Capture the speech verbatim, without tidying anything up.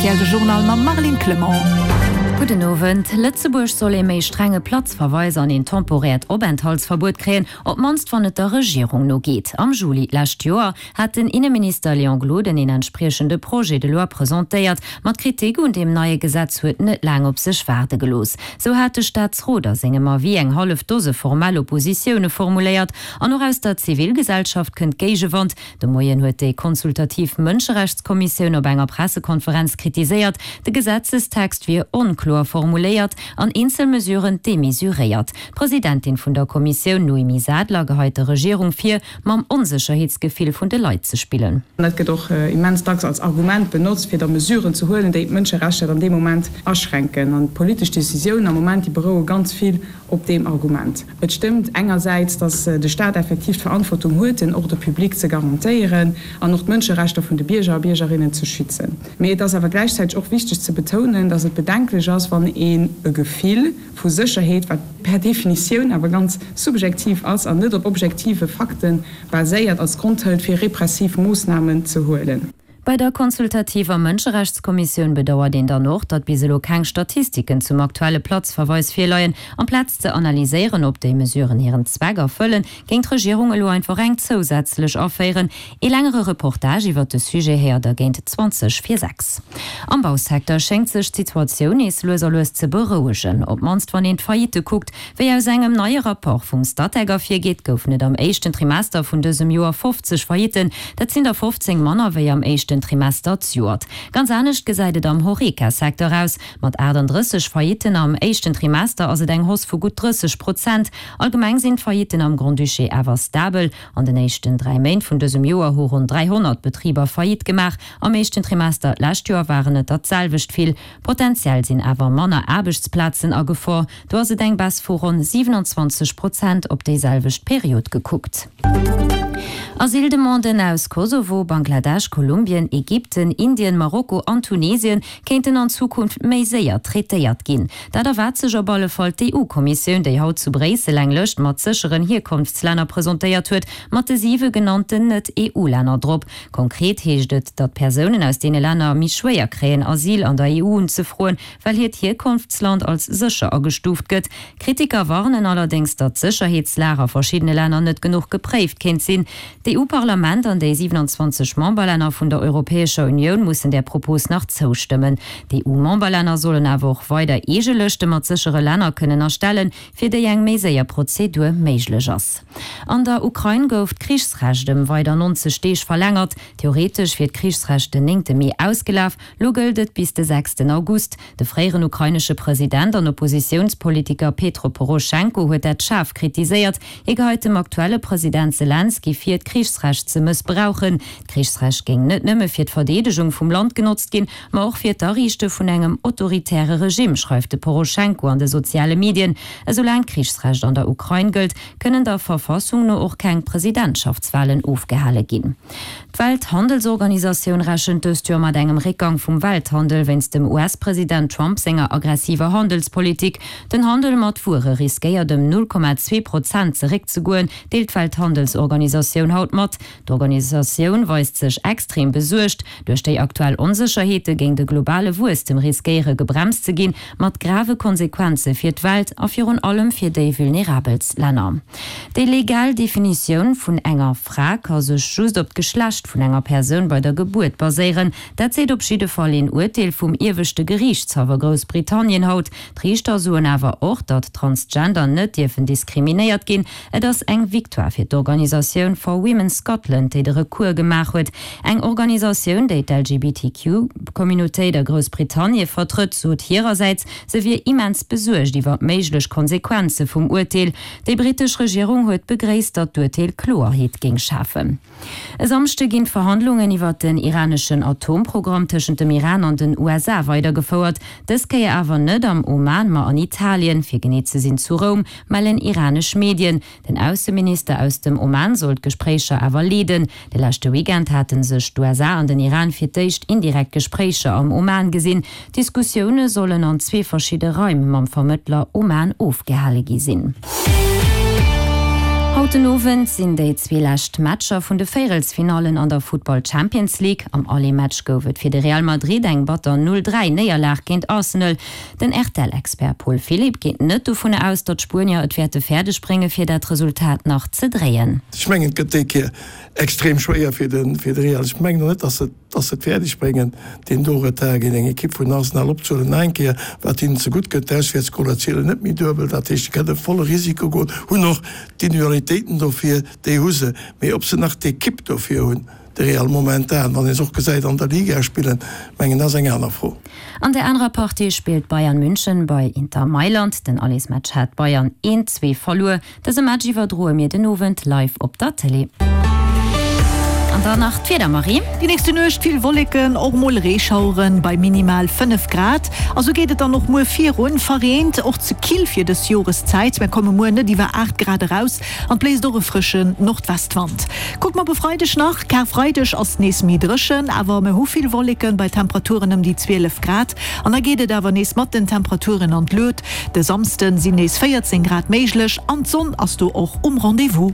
R T L de Journal mam Marlene Clement. Gudden Owend. Lëtzebuerg soll ee méi strenge Platzverweis an een temporäert Openthaltsverbuet kréien, op d'mannst wann et der Regierung no geet. Am Juli d'lescht Joer hat den Inneminister Léon Gloden een entspriechende Projet de loi presentéiert, ma d'Kritik un deem neie Gesetz huet net laang op sech waarde gelooss. Sou hat de Staatsrot a sengem Avis eng hallef Dose formell Oppositioune formuléiert an och aus der Zivilgesellschaft kënnt Géigewand. De Moien huet déi consultativ Mënscherechtskommissioun op enger Pressekonferenz kritiséiert, de Gesetzestext wier onkloer formuléiert an eenzel Mesuren demesuréiert. D'Presidentin vun der Kommissioun Noémie Sadler geheit der Regierung vir, mam Onsécherheetsgefill vun de Leit ze spillen. Dat gëtt och immens dacks als Argument benotzt, fir da Mesuren ze huelen, déi d'Mënscherechter dann dee Moment aschränken. An d'politesch Decisiounen am Moment, déi beroue ganz vill op deem Argument. Et stëmmt engersäits, datt de Staat effektiv d'Verantwortung huet, den Ordre public ze garantéieren an och d'Mënscherechter vun de Bierger a Biergerinnen ze schützen. Mee et ass awer gläichzäiteg och wichteg ze betounen, datt et bedenklech ass, wann een e Gefill vu Sécherheet, wat per Definitioun awer ganz subjektiv ass an net op objektive Fakte baséiert, als Grond hëlt, fir repressiv Moossnamen ze huelen. Bei der consultativer Mënscherechtskommissioun bedauert een dann och, datt bis elo keng Statistiken zum aktuelle Platzverweis virleien. Amplaz ze analyséieren, ob déi Mesuren hiren Zweck erfëllen, géing d'Regierung elo einfach eng zousätzlech aféieren. Ee längere Reportage iwwert de Sujet héiert der géint zwanzeg vir sechs. Am Bausecteur schéngt sech d'Situatioun nees lues a lues ze berouegen, op d'mannst wann een d'Faillitte kuckt. Wéi aus engem neie Rapport vum Statec ervirgeet, goufen et am éischten Trimester vun dësem Joer fofzeg Faillitten. Dat sinn der fofzéng manner wéi am éischten Trimester zejoert. Ganz anescht gesäit et am Horeca-Secteur aus. Mat achtandrësseg Faillitten am éischten Trimester ass et eng Hausse vu gutt drësseg Prozent. Allgemeng sinn d'Faillitten am Grand-Duché awer stabel. An den éischten dräi Méint vun dësem Joer hu ronn dräihonnert Betriber Faillite gemaach. Am éischten Trimester d'lescht Joer waren et der d'selwecht vill. Potenziell sinn awer manner Aarbechtsplazen a Gefor. Do ass et eng Baisse vu ronn siwenanzwanzeg Prozent op déi selwecht Period gekuckt. Asyldemanden aus Kosovo, Bangladesch, Kolumbien, Ägypten, Indien, Marokko an Tunesien kéinten an Zukunft méi séier traitéiert ginn. Dat erwaart sech op alle Fall d'E U-Kommissioun, déi haut zu Bréissel eng Lëscht mat sécheren Hierkonftslänner presentéiert huet, mat de siwe genannten Net-E U-Länner drop. Konkret heescht et, datt Persounen aus deene Länner méi schwéier kréien, Asyl an der E U unzefroen, well hiert Hierkonftsland als sécher agestuuft gëtt. Kritiker warnen allerdéngs, datt d'Sécherheetslag a verschiddene Länner net genuch gepréift kéint sinn. D'E U-Parlament an déi siewenanzwanzeg Memberlänner vun der Europäescher Unioun mussen där Propos nach zoustëmmen. D'E U-Memberlänner sollen awer och weider eege Lëschte mat séchere Länner kënnen erstellen, fir déi eng méi séier Prozedur méiglech ass. An der Ukrain gouf d'Krichsrecht ëm weider nonzeg Deeg verlängert. Theoretesch wier d'Krichsrecht den néngte Mee ausgelaf, lo gëllt et bis de sechsten August. De fréieren ukrainesche President an Oppositiounspolitiker Petro Poroschenko huet dat schaarf kritiséiert. Hie geheit dem aktuelle President Selenskyj vir, d'Krichsrecht ze mëssbrauchen. D'Krichsrecht géing net nëmme fir d'Verdeedegung vum Land genotzt ginn, ma och fir d'Ariichte vun engem autoritäre Regime, schreift de Poroschenko an de soziale Medien. Esoulaang d'Krichsrecht an der Ukrain gëllt, kënnen der Verfassung no och keng Presidentschaftswalen ofgehale ginn. D'Welthandelsorganisatioun rechent dëst Joer mat engem Réckgang vum Welthandel wéinst dem U S-President Trump senger aggressiver Handelspolitik. Den Handel mat Wuere riskéiert ëm null Komma zwee Prozent zeréckzegoen, deelt d'Welthandelsorganisatioun haut mat. D'Organisatioun weist sech extrem besuergt. Duerch déi aktuell Onsécherheete géing de globale Wuesstem riskéiere gebremst ze ginn, mat grave Konsequenze fir d'Welt a virun allem fir déi vulnerabelst Länner. Déi legal Definitioun vun enger Fra ka sech just op d'Geschlecht vun enger Persoun bei der Gebuert baséieren. Dat seet op jidde Fall een Urteel vum ieweschte Geriichtshaff a Groussbritannien haut. D'Riichter soen awer och, datt Transgender net dierfen diskriminéiert ginn. Et ass eng Victoire fir d'Organisatioun For Women Scotland, déi de Recours gemaach huet. Eng Organisatioun, déi d'L G B T Q-Communautéit a Groussbritannie vertrëtt, sot hirersäits, se wier immens besuergt iwwer méiglech Konsequenze vum Urteel. Déi brittesch Regierung huet begréisst, datt d'Urteel Kloerheet géing schafen. E Samschde ginn d'Verhandlungen iwwer den iraneschen Atomprogramm tëschent dem Iran an den U S A weidergefouert. Dës Kéier awer net am Oman, ma an Italien, fir genee ze sinn zu Roum, mellen iranesch Medien. Den Ausseminister aus dem Oman soll d'Gespréicher awer leeden. De leschte Weekend haten sech d'U S A an den Iran fir d'éischt indirekt Gespréicher am Oman gesinn. D'Diskussioune sollen an zwee verschidde Raim mam Vermëttler Oman ofgehale gi sinn. Haut Haut den Owend sinn déi zwee lescht Matcher vun de Véierelsfinallen an der Futtball Champions League. Am Aller-Match gouf et fir de Real Madrid eng batter null dräi Néierlag géint Arsenal. Den R T L-Expert Paul Philipp geet net dovun aus, datt d'Spuenier et wäerte fäerdeg brénge fir dat Resultat nach ze dréien. Ech mengen et gëtt déi Kéier extrem schwéier fir de fir de Real. Ech mengen och net, datt se datt se et fäerdeg bréngen, deen do Retard géint eng Ekipp vun Arsenal opzehuelen. Nach eng Kéier, wat hinnen zegutt kënnt, d'Auswäertsgoler zielen net méi duebel, dat heescht, se kënne volle Risiko goen, hunn och d'Individualitéiten dofir, déi hu se. Mee ob se nach d'Ekipp dofir hunn, de Real momentan, wann ee se och gesäit an der Liga spillen, mengen ass eng aner Fro. An der anerer Partie spillt Bayern München bei Inter Mailand. Den Allesmatch hat Bayern een zwee verluer. Dëse Match iwwerdroe mir den Owend live op der Tëlee. An dann nach d'Wieder, Marie. Déi nächste Nuecht vill Wolleken, och mol Reeschaueren bei minimal fënnef Grad. A sou geet et dann och muer virun, verreent, och ze kill fir dës Joreszäit. Mir komme muer net iwwer aacht Grad eraus an et bléist och e frëschen Nordwestwand. Kucke mer op e Freideg nach, Karfreideg ass nees méi dréchen, awer mir hu vill Wolleken bei Temperaturen ëm déi zwielef Grad. An da geet et awer nees mat den Temperaturen an d'Luet, de Samsde sinn nees véierzéng Grad méiglech an d'Sonn ass do och um Rendez-vous.